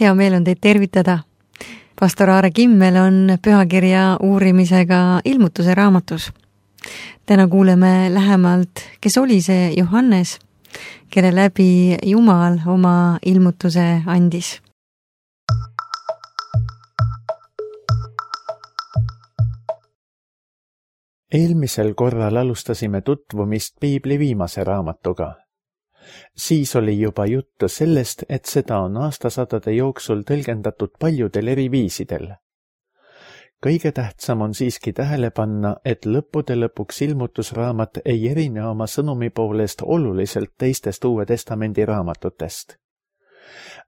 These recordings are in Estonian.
Hea meel on teid tervitada. Pastor Aare Kimmel on pühakirja uurimisega Ilmutuse raamatus. Täna kuuleme lähemalt, kes oli see Johannes, kelle läbi Jumal oma ilmutuse andis. Eelmisel korral alustasime tutvumist Piibli viimase raamatuga. Siis oli juba juttu sellest, et seda on aastasadade jooksul tõlgendatud paljudel eri viisidel. Kõige tähtsam on siiski tähele panna, et lõppude lõpuks ilmutusraamat ei erine oma sõnumi poolest oluliselt teistest Uue Testamendi raamatutest.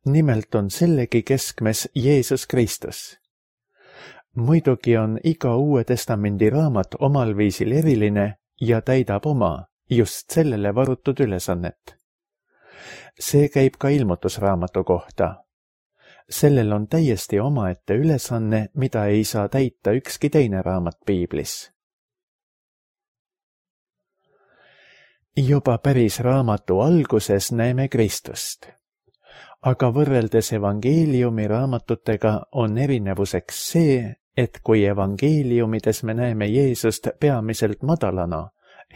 Nimelt on sellegi keskmes Jeesus Kristus. Muidugi on iga Uue Testamendi raamat omal viisil eriline ja täidab oma, just sellele varutud ülesannet. See käib ka ilmutusraamatu kohta. Sellel on täiesti omaette ülesanne, mida ei saa täita ükski teine raamat Piiblis. Juba päris raamatu alguses näeme Kristust. Aga võrreldes evangeeliumi raamatutega on erinevuseks see, et kui evangeeliumides me näeme Jeesust peamiselt madalana,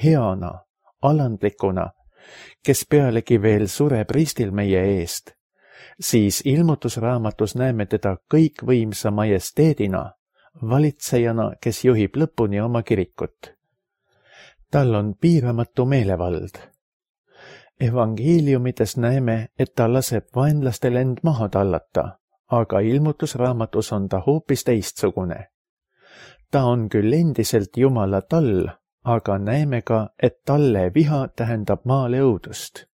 heana, alandlikuna, kes pealegi veel sureb ristil meie eest, siis ilmutusraamatus näeme teda kõikvõimsa majesteedina, valitsejana, kes juhib lõpuni oma kirikut. Tal on piiramatu meelevald. Evangeeliumides näeme, et ta laseb vaenlastel end maha tallata, aga ilmutusraamatus on ta hoopis teistsugune. Ta on küll endiselt Jumala tall, aga näeme ka, et talle viha tähendab maale õudust.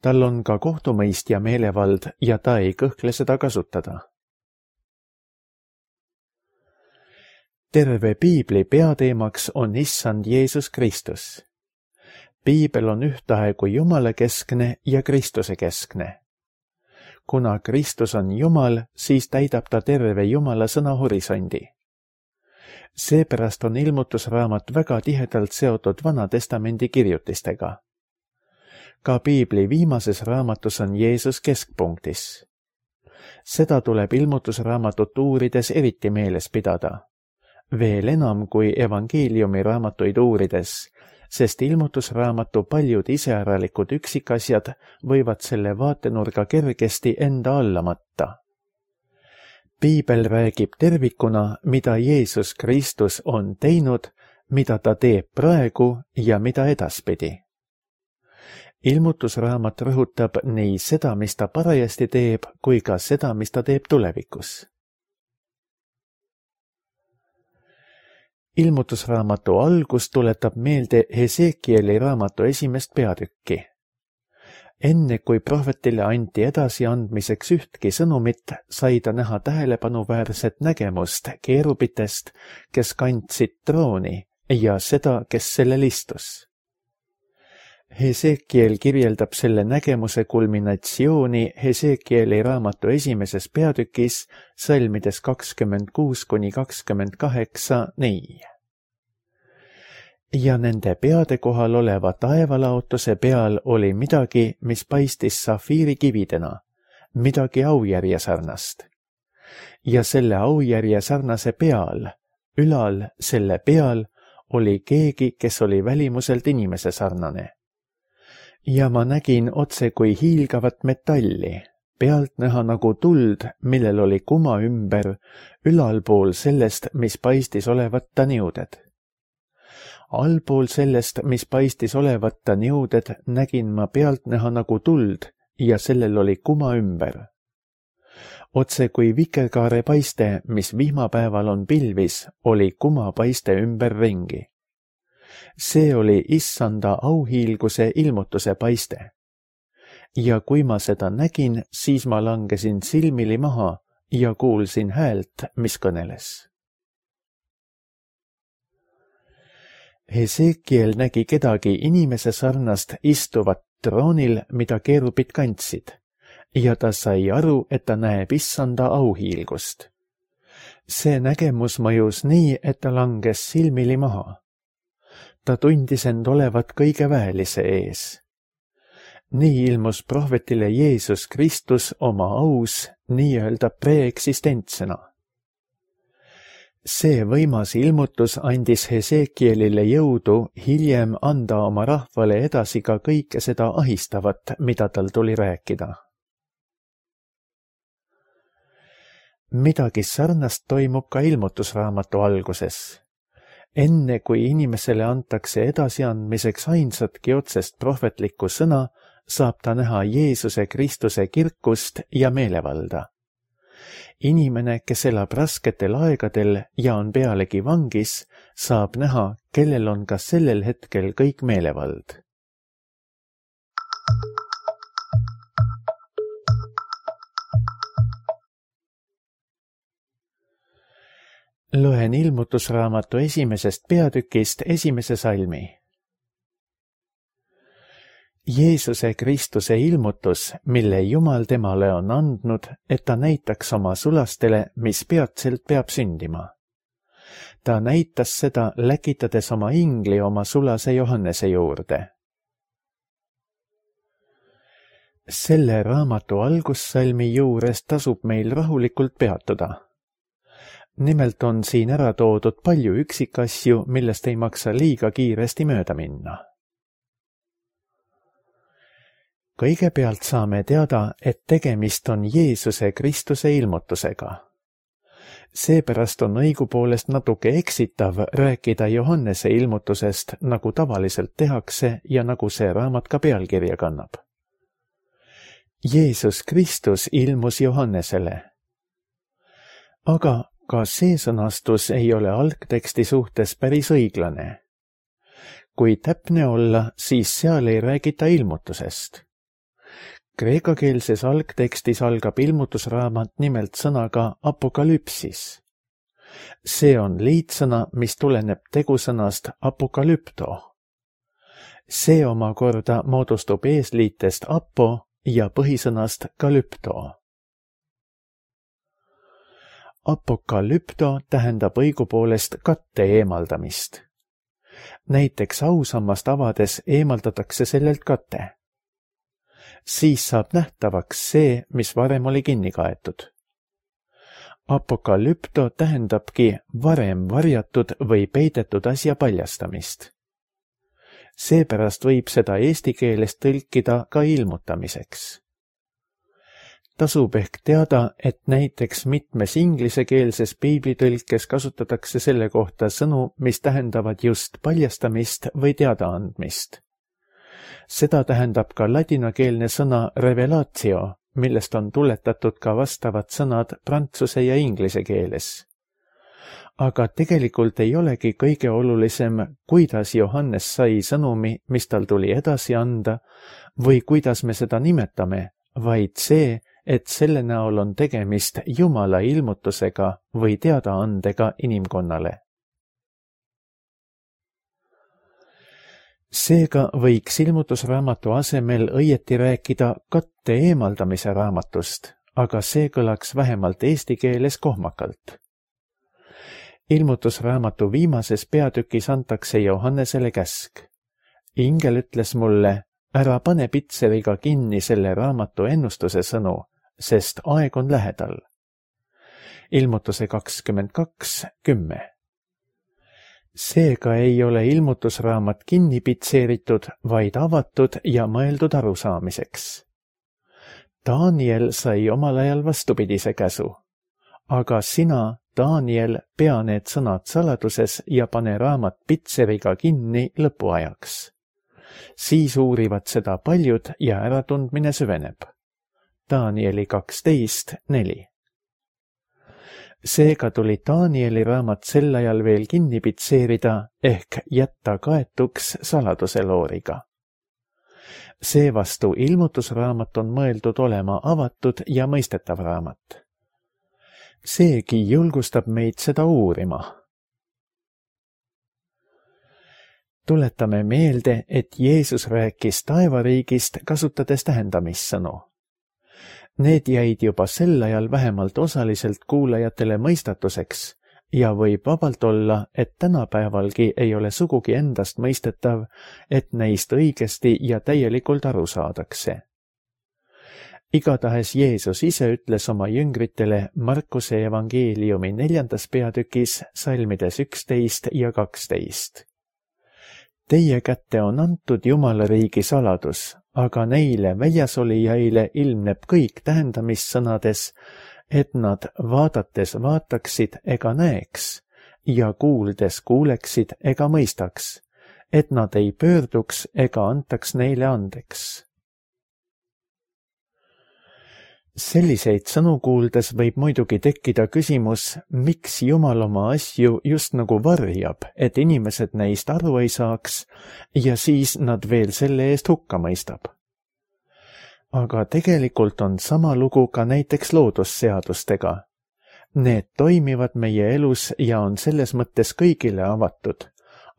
Tal on ka kohtumõistja meelevald ja ta ei kõhkle seda kasutada. Terve Piibli peateemaks on Issand Jeesus Kristus. Piibel on ühtaegu Jumala keskne ja Kristuse keskne. Kuna Kristus on Jumal, siis täidab ta terve Jumala sõna horisondi. Seepärast on ilmutusraamat väga tihedalt seotud Vana Testamendi kirjutistega. Ka Piibli viimases raamatus on Jeesus keskpunktis. Seda tuleb ilmutusraamatut uurides eriti meeles pidada. Veel enam kui evangeeliumi raamatuid uurides, sest ilmutusraamatu paljud iseäralikud üksikasjad võivad selle vaatenurga kergesti enda alla matta. Piibel räägib tervikuna, mida Jeesus Kristus on teinud, mida ta teeb praegu ja mida edaspidi. Ilmutusraamat rõhutab nii seda, mis ta parajasti teeb, kui ka seda, mis ta teeb tulevikus. Ilmutusraamatu algus tuletab meelde Hesekieli raamatu esimest peatükki. Enne kui prohvetile anti edasiandmiseks ühtki sõnumit, sai ta näha tähelepanuväärset nägemust keerubitest, kes kandsid trooni ja seda, kes sellel istus. Hesekiel kirjeldab selle nägemuse kulminatsiooni Hesekieli raamatu esimeses peatükis, salmides 26–28 nii. Ja nende peade kohal oleva taevalaotuse peal oli midagi, mis paistis safiirikividena, midagi aujärje sarnast. Ja selle aujärje sarnase peal, ülal selle peal, oli keegi, kes oli välimuselt inimese sarnane. Ja ma nägin otse kui hiilgavat metalli, pealt näha nagu tuld, millel oli kuma ümber, ülalpool sellest, mis paistis olevat ta niuded. Allpool sellest, mis paistis olevat ta niuded, nägin ma pealt näha nagu tuld ja sellel oli kuma ümber. Otse kui vikerkaare paiste, mis vihmapäeval on pilvis, oli kuma paiste ümber ringi. See oli Issanda auhiilguse ilmutuse paiste. Ja kui ma seda nägin, siis ma langesin silmili maha ja kuulsin häält, mis kõneles. Hesekiel nägi kedagi inimese sarnast istuvat troonil, mida keerubid kandsid, ja ta sai aru, et ta näeb Issanda auhiilgust. See nägemus mõjus nii, et ta langes silmili maha. Ta tundis end olevat kõige väelise ees. nii ilmus prohvetile Jeesus Kristus oma aus nii-öelda preeksistentsena. See võimas ilmutus andis Hesekielile jõudu hiljem anda oma rahvale edasi ka kõike seda ahistavat, mida tal tuli rääkida. Midagi sarnast toimub ka ilmutusraamatu alguses. Enne kui inimesele antakse edasiandmiseks ainsatki otsest prohvetlikku sõna, saab ta näha Jeesuse Kristuse kirkust ja meelevalda. Inimene, kes elab rasketel aegadel ja on pealegi vangis, saab näha, kellel on ka sellel hetkel kõik meelevald. Loen ilmutusraamatu 1. peatükist 1. salmi. Jeesuse Kristuse ilmutus, mille Jumal temale on andnud, et ta näitaks oma sulastele, mis peatselt peab sündima. Ta näitas seda, läkitades oma ingli oma sulase Johannese juurde. Selle raamatu algussalmi juures tasub meil rahulikult peatuda. Nimelt on siin ära toodud palju üksikasju, millest ei maksa liiga kiiresti mööda minna. Kõigepealt saame teada, et tegemist on Jeesuse Kristuse ilmutusega. Seepärast on õigupoolest natuke eksitav rääkida Johannese ilmutusest, nagu tavaliselt tehakse ja nagu see raamat ka pealkirja kannab. Jeesus Kristus ilmus Johannesele. Aga ka see sõnastus ei ole algteksti suhtes päris õiglane. Kui täpne olla, siis seal ei räägita ilmutusest. Kreekakeelses algtekstis algab ilmutusraamat nimelt sõnaga apokalüpsis. See on liitsõna, mis tuleneb tegusõnast apokalypto. See omakorda moodustub eesliitest apo ja põhisõnast kalypto. Apokalypto tähendab õigupoolest katte eemaldamist. Näiteks ausammast avades eemaldatakse sellelt kate. Siis saab nähtavaks see, mis varem oli kinni kaetud. Apokalypto tähendabki varem varjatud või peidetud asja paljastamist. Seepärast võib seda eesti keeles tõlkida ka ilmutamiseks. Tasub ehk teada, et näiteks mitmes inglisekeelses piiblitõlkes kasutatakse selle kohta sõnu, mis tähendavad just paljastamist või teadaandmist. Seda tähendab ka ladinakeelne sõna revelatio, millest on tuletatud ka vastavad sõnad prantsuse ja inglise keeles. Aga tegelikult ei olegi kõige olulisem, kuidas Johannes sai sõnumi, mis tal tuli edasi anda, või kuidas me seda nimetame, vaid see, et selle näol on tegemist Jumala ilmutusega või teadaandega inimkonnale. Seega võiks ilmutusraamatu asemel õieti rääkida katte eemaldamise raamatust, aga see kõlaks vähemalt eesti keeles kohmakalt. Ilmutusraamatu viimases peatükis antakse Johannesele käsk. Ingel ütles mulle, ära pane pitseriga kinni selle raamatu ennustuse sõnu, sest aeg on lähedal. Ilmutuse 22:10. Seega ei ole ilmutusraamat kinni pitseeritud, vaid avatud ja mõeldud arusaamiseks. Daniel sai omal ajal vastupidise käsu, aga sina, Daniel, pea need sõnad saladuses ja pane raamat pitseriga kinni lõpuajaks. Siis uurivad seda paljud ja äratundmine süveneb. Danieli 12:4. Seega tuli Danieli raamat sel ajal veel kinni pitseerida ehk jätta kaetuks saladuse looriga. Seevastu ilmutusraamat on mõeldud olema avatud ja mõistetav raamat. Seegi julgustab meid seda uurima. Tuletame meelde, et Jeesus rääkis taevariigist, kasutades tähendamissõnu. Need jäid juba sel ajal vähemalt osaliselt kuulajatele mõistatuseks, ja võib vabalt olla, et tänapäevalgi ei ole sugugi endast mõistetav, et neist õigesti ja täielikult aru saadakse. Igatahes Jeesus ise ütles oma jüngritele Markuse evangeeliumi 4. peatükis salmides 11 ja 12. Teie kätte on antud Jumala riigi saladus, aga neile väljasolijaile ilmneb kõik tähendamissõnades, et nad vaadates vaataksid ega näeks ja kuuldes kuuleksid ega mõistaks, et nad ei pöörduks ega antaks neile andeks. Selliseid sõnu kuuldes võib muidugi tekkida küsimus, miks Jumal oma asju just nagu varjab, et inimesed neist aru ei saaks ja siis nad veel selle eest hukka mõistab. Aga tegelikult on sama lugu ka näiteks loodusseadustega. Need toimivad meie elus ja on selles mõttes kõigile avatud,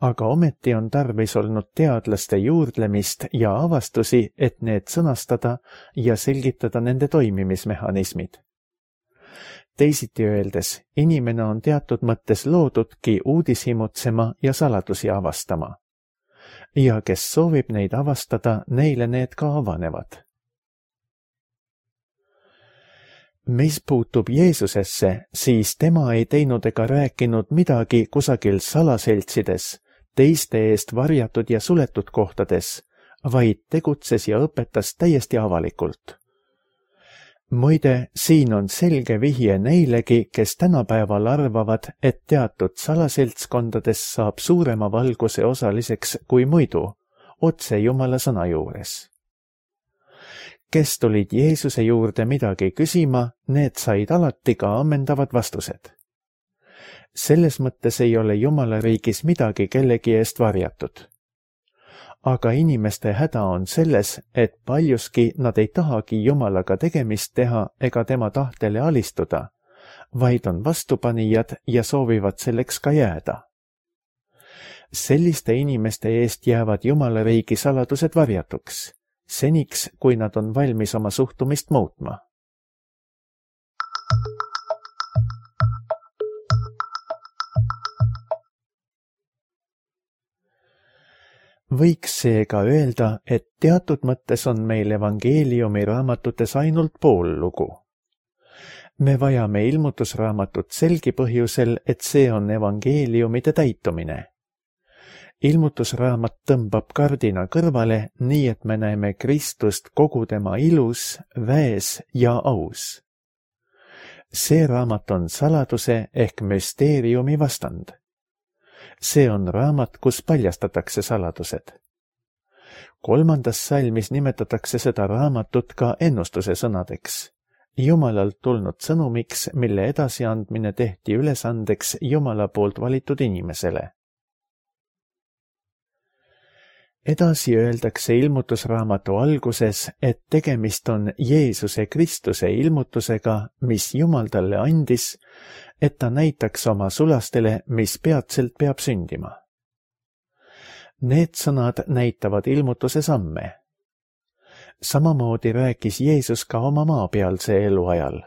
aga ometi on tarvis olnud teadlaste juurdlemist ja avastusi, et need sõnastada ja selgitada nende toimimismehhanismid. Teisiti öeldes, inimene on teatud mõttes loodudki uudishimutsema ja saladusi avastama. Ja kes soovib neid avastada, neile need ka avanevad. Mis puutub Jeesusesse, siis tema ei teinud ega rääkinud midagi kusagil salaseltsides, teiste eest varjatud ja suletud kohtades, vaid tegutses ja õpetas täiesti avalikult. Muide, siin on selge vihje neilegi, kes tänapäeval arvavad, et teatud salaseltskondades saab suurema valguse osaliseks kui muidu, otse Jumala sõna juures. Kes tulid Jeesuse juurde midagi küsima, need said alati ka ammendavad vastused. Selles mõttes ei ole Jumala riigis midagi kellegi eest varjatud. Aga inimeste häda on selles, et paljuski nad ei tahagi Jumalaga tegemist teha ega tema tahtele alistuda, vaid on vastupanijad ja soovivad selleks ka jääda. Selliste inimeste eest jäävad Jumala riigi saladused varjatuks, seniks, kui nad on valmis oma suhtumist muutma. Võiks seega öelda, et teatud mõttes on meil evangeeliumi raamatutes ainult pool lugu. Me vajame ilmutusraamatut selgi põhjusel, et see on evangeeliumide täitumine. Ilmutusraamat tõmbab kardina kõrvale, nii et me näeme Kristust kogu tema ilus, väes ja aus. See raamat on saladuse ehk müsteeriumi vastand. See on raamat, kus paljastatakse saladused. 3. salmis nimetatakse seda raamatut ka ennustuse sõnadeks, Jumalalt tulnud sõnumiks, mille edasiandmine tehti ülesandeks Jumala poolt valitud inimesele. Edasi öeldakse ilmutusraamatu alguses, et tegemist on Jeesuse Kristuse ilmutusega, mis Jumal talle andis, et ta näitaks oma sulastele, mis peatselt peab sündima. Need sõnad näitavad ilmutuse samme. Samamoodi rääkis Jeesus ka oma maapealse eluajal.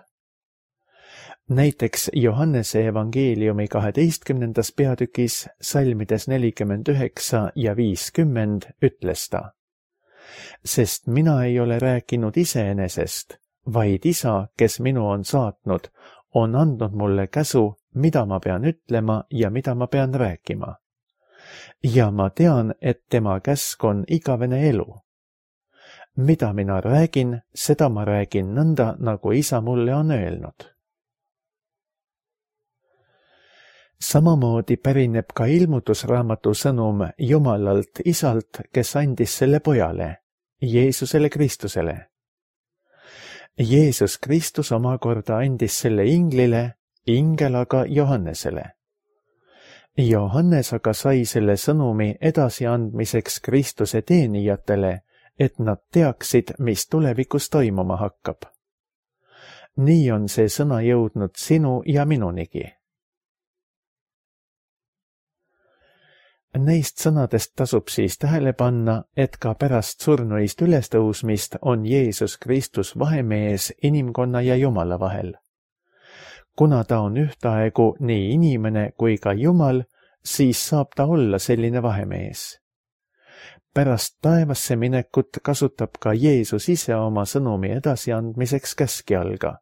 Näiteks Johannese evangeeliumi 12. peatükis salmides 49 ja 50 ütles ta: Sest mina ei ole rääkinud iseenesest, vaid Isa, kes minu on saatnud, on andnud mulle käsu, mida ma pean ütlema ja mida ma pean rääkima. Ja ma tean, et tema käsk on igavene elu. Mida mina räägin, seda ma räägin nõnda, nagu Isa mulle on öelnud. Samamoodi pärineb ka ilmutusraamatu sõnum Jumalalt Isalt, kes andis selle pojale, Jeesusele Kristusele. Jeesus Kristus omakorda andis selle inglile, ingel aga Johannesele. Johannes aga sai selle sõnumi edasiandmiseks Kristuse teenijatele, et nad teaksid, mis tulevikus toimuma hakkab. Nii on see sõna jõudnud sinu ja minunigi. Neist sõnadest tasub siis tähele panna, et ka pärast surnuist ülestõusmist on Jeesus Kristus vahemees inimkonna ja Jumala vahel. kuna ta on ühtaegu nii inimene kui ka Jumal, siis saab ta olla selline vahemees. Pärast taevasse minekut kasutab ka Jeesus ise oma sõnumi edasiandmiseks käskjalga.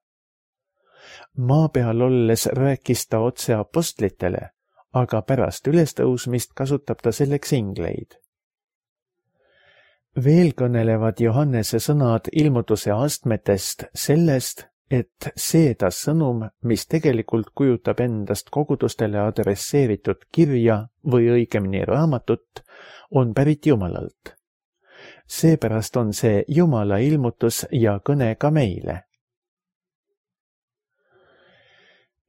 Maa peal olles rääkis ta otse apostlitele, aga pärast ülestõusmist kasutab ta selleks ingleid. Veel kõnelevad Johannese sõnad ilmutuse astmetest sellest, et see ta sõnum, mis tegelikult kujutab endast kogudustele adresseeritud kirja või õigemini raamatut, on pärit Jumalalt. Seepärast on see Jumala ilmutus ja kõne ka meile.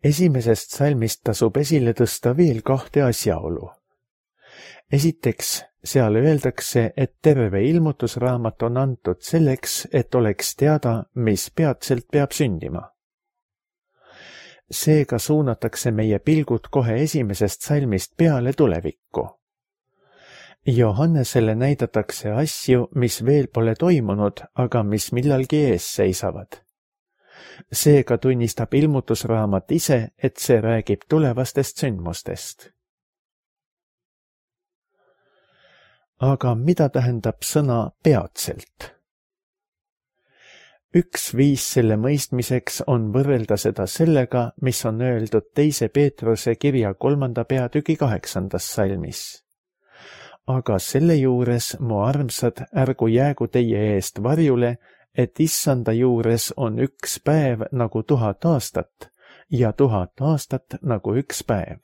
Esimesest salmist tasub esile tõsta veel 2 asjaolu. Esiteks, seal öeldakse, et terve ilmutusraamat on antud selleks, et oleks teada, mis peatselt peab sündima. Seega suunatakse meie pilgud kohe esimesest salmist peale tulevikku. Johannesele näidatakse asju, mis veel pole toimunud, aga mis millalgi ees seisavad. Seega tunnistab ilmutusraamat ise, et see räägib tulevastest sündmustest. Aga mida tähendab sõna peatselt? Üks viis selle mõistmiseks on võrrelda seda sellega, mis on öeldud 2. Peetruse kirja 3. peatüki 8. salmis. Aga selle juures, mu armsad, ärgu jäägu teie eest varjule, et issanda juures on 1 päev nagu 1000 aastat ja 1000 aastat nagu 1 päev.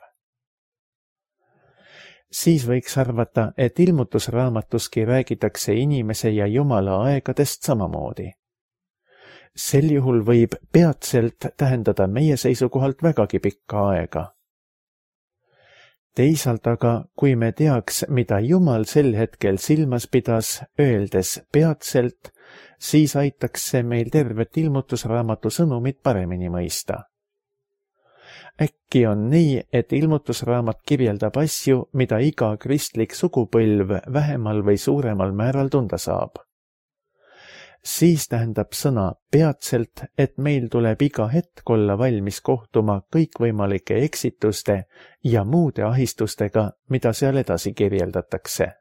Siis võiks arvata, et ilmutusraamatuski räägitakse inimese ja Jumala aegadest samamoodi. Sel juhul võib peatselt tähendada meie seisukohalt vägagi pikka aega. Teisalt aga, kui me teaks, mida Jumal sel hetkel silmas pidas, öeldes peatselt, siis aitaks see meil tervet ilmutusraamatu sõnumit paremini mõista. Äkki on nii, et ilmutusraamat kirjeldab asju, mida iga kristlik sugupõlv vähemal või suuremal määral tunda saab. Siis tähendab sõna peatselt, et meil tuleb iga hetk olla valmis kohtuma kõikvõimalike eksituste ja muude ahistustega, mida seal edasi kirjeldatakse.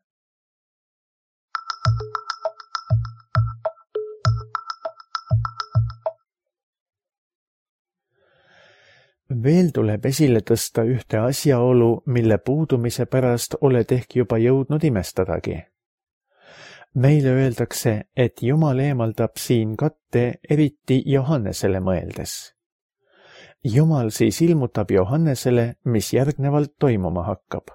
Veel tuleb esile tõsta ühte asjaolu, mille puudumise pärast oled ehk juba jõudnud imestadagi. Meile öeldakse, et Jumal eemaldab siin katte eriti Johannesele mõeldes. Jumal siis ilmutab Johannesele, mis järgnevalt toimuma hakkab.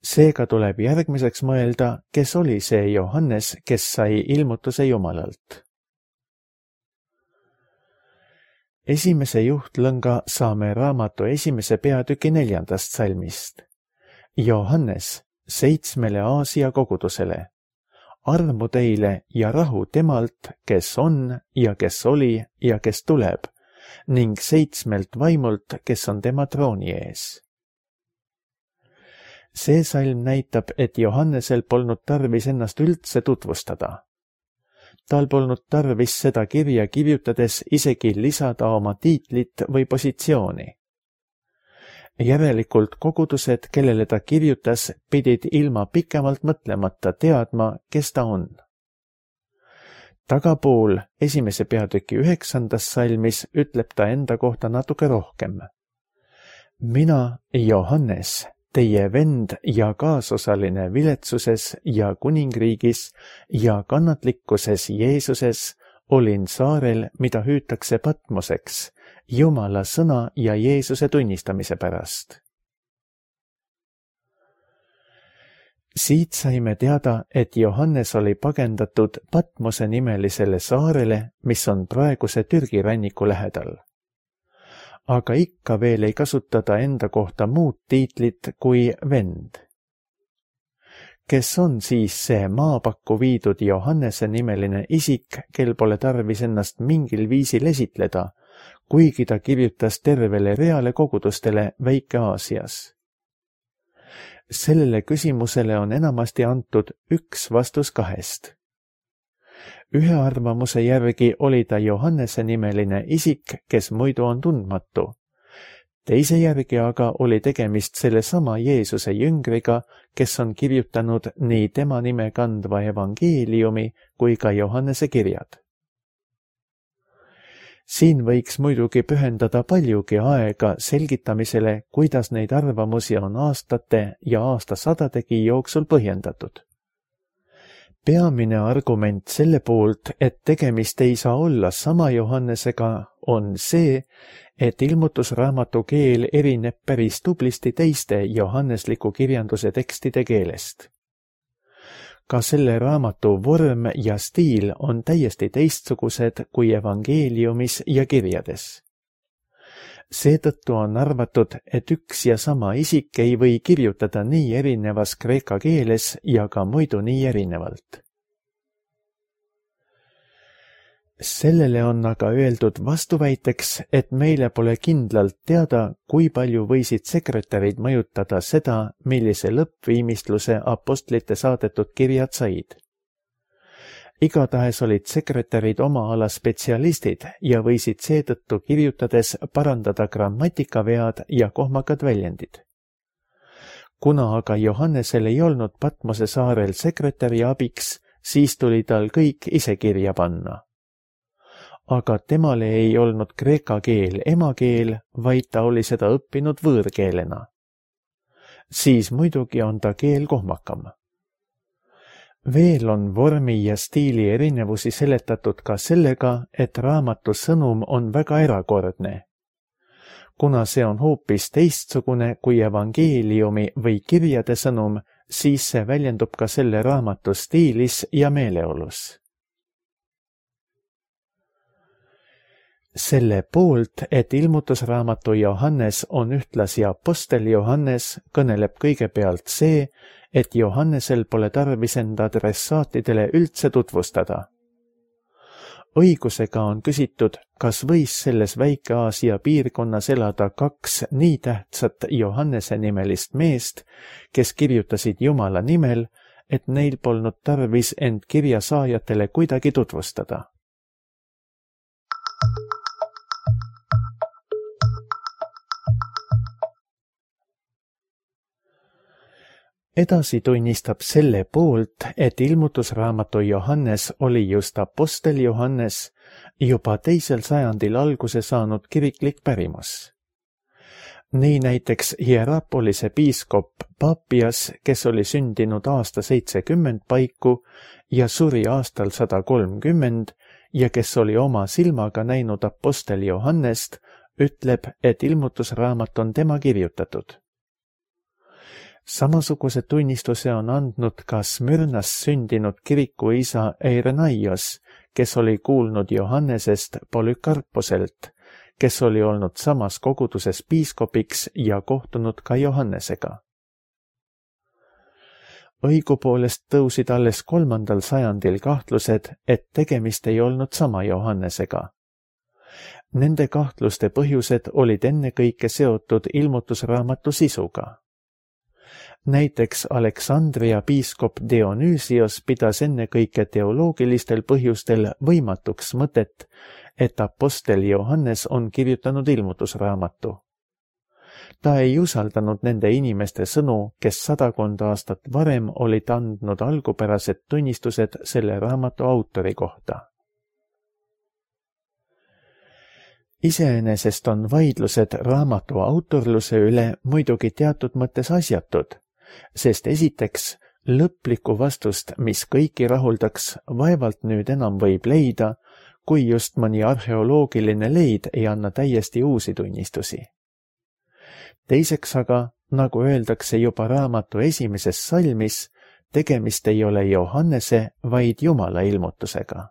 Seega tuleb järgmiseks mõelda, kes oli see Johannes, kes sai ilmutuse Jumalalt. Esimese juhtlõnga saame raamatu 1. peatüki 4. salmist. Johannes 7 Aasia kogudusele. Armu teile ja rahu temalt, kes on ja kes oli ja kes tuleb, ning 7 vaimult, kes on tema trooni ees. See salm näitab, et Johannesel polnud tarvis ennast üldse tutvustada. Tal polnud tarvis seda kirja kirjutades isegi lisada oma tiitlit või positsiooni. Järelikult kogudused, kellele ta kirjutas, pidid ilma pikemalt mõtlemata teadma, kes ta on. Tagapool 1. peatüki 9. salmis ütleb ta enda kohta natuke rohkem. Mina, Johannes, teie vend ja kaasosaline viletsuses ja kuningriigis ja kannatlikkuses Jeesuses, olin saarel, mida hüütakse Patmoseks, Jumala sõna ja Jeesuse tunnistamise pärast. Siit saime teada, et Johannes oli pagendatud Patmose nimelisele saarele, mis on praeguse Türgi ranniku lähedal. Aga ikka veel ei kasutada enda kohta muud tiitlit kui vend. Kes on siis see maapakku viidud Johannese nimeline isik, kel pole tarvis ennast mingil viisil esitleda, kuigi ta kirjutas tervele reale kogudustele Väike-Aasias? Sellele küsimusele on enamasti antud üks vastus 2. Ühe arvamuse järgi oli ta Johannese nimeline isik, kes muidu on tundmatu. Teise järgi aga oli tegemist sellesama Jeesuse jüngriga, kes on kirjutanud nii tema nime kandva evangeeliumi kui ka Johannese kirjad. Siin võiks muidugi pühendada paljugi aega selgitamisele, kuidas neid arvamusi on aastate ja aastasadadegi jooksul põhjendatud. Peamine argument selle poolt, et tegemist ei saa olla sama Johannesega, on see, et ilmutusraamatu keel erineb päris tublisti teiste johannesliku kirjanduse tekstide keelest. Ka selle raamatu vorm ja stiil on täiesti teistsugused kui evangeeliumis ja kirjades. Seetõttu on arvatud, et üks ja sama isik ei või kirjutada nii erinevas kreeka keeles ja ka muidu nii erinevalt. Sellele on aga öeldud vastuväiteks, et meile pole kindlalt teada, kui palju võisid sekretärid mõjutada seda, millise lõppviimistluse apostlite saadetud kirjad said. Igatahes olid sekretärid oma ala spetsialistid ja võisid seetõttu kirjutades parandada grammatikavead ja kohmakad väljendid. Kuna aga Johannesel ei olnud Patmose saarel sekretäri abiks, siis tuli tal kõik ise kirja panna. Aga temale ei olnud kreeka keel emakeel, vaid ta oli seda õppinud võõrkeelena. Siis muidugi on ta keel kohmakam. Veel on vormi ja stiili erinevusi seletatud ka sellega, et raamatu sõnum on väga erakordne. Kuna see on hoopis teistsugune kui evangeeliumi või kirjade sõnum, siis see väljendub ka selle raamatu stiilis ja meeleolus. Selle poolt, et ilmutusraamatu Johannes on ühtlasi apostel Johannes, kõneleb kõigepealt see, et Johannesel pole tarvis enda adressaatidele üldse tutvustada. Õigusega on küsitud, kas võis selles Väike-Aasia piirkonnas elada kaks nii tähtsat Johannese nimelist meest, kes kirjutasid Jumala nimel, et neil polnud tarvis end kirja saajatele kuidagi tutvustada. Edasi tunnistab selle poolt, et ilmutusraamatu Johannes oli just apostel Johannes, juba 2. sajandil alguse saanud kiriklik pärimus. Nii näiteks Hierapolise piiskop Papias, kes oli sündinud aasta 70 paiku ja suri aastal 130 ja kes oli oma silmaga näinud apostel Johannest, ütleb, et ilmutusraamat on tema kirjutatud. Samasuguse tunnistuse on andnud ka Smyrnas sündinud kirikuisa Eirenaios, kes oli kuulnud Johannesest Polükarposelt, kes oli olnud samas koguduses piiskopiks ja kohtunud ka Johannesega. Õigupoolest tõusid alles 3. sajandil kahtlused, et tegemist ei olnud sama Johannesega. Nende kahtluste põhjused olid ennekõike seotud ilmutusraamatu sisuga. Näiteks Aleksandria piiskop Dionüüsios pidas ennekõike teoloogilistel põhjustel võimatuks mõtet, et apostel Johannes on kirjutanud ilmutusraamatu. Ta ei usaldanud nende inimeste sõnu, kes 100 aastat varem olid andnud algupärased tunnistused selle raamatu autori kohta. Iseenesest on vaidlused raamatu autorluse üle muidugi teatud mõttes asjatud, sest esiteks lõplikku vastust, mis kõiki rahuldaks, vaevalt nüüd enam võib leida, kui just mõni arheoloogiline leid ei anna täiesti uusi tunnistusi. Teiseks aga, nagu öeldakse juba raamatu esimeses salmis, tegemist ei ole Johannese, vaid Jumala ilmutusega.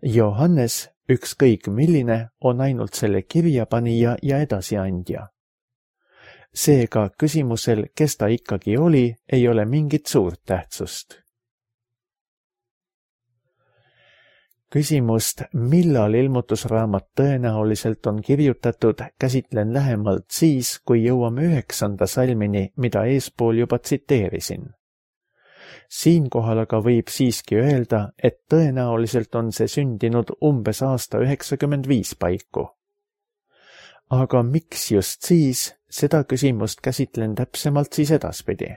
Johannes, ükskõik milline, on ainult selle kirjapanija ja edasiandja. Seega küsimusel, kes ta ikkagi oli, ei ole mingit suurt tähtsust. Küsimust, millal ilmutusraamat tõenäoliselt on kirjutatud, käsitlen lähemalt siis, kui jõuame 9. salmini, mida eespool juba tsiteerisin. Siinkohal aga võib siiski öelda, et tõenäoliselt on see sündinud umbes aasta 95 paiku. Aga miks just siis, seda küsimust käsitlen täpsemalt siis edaspidi.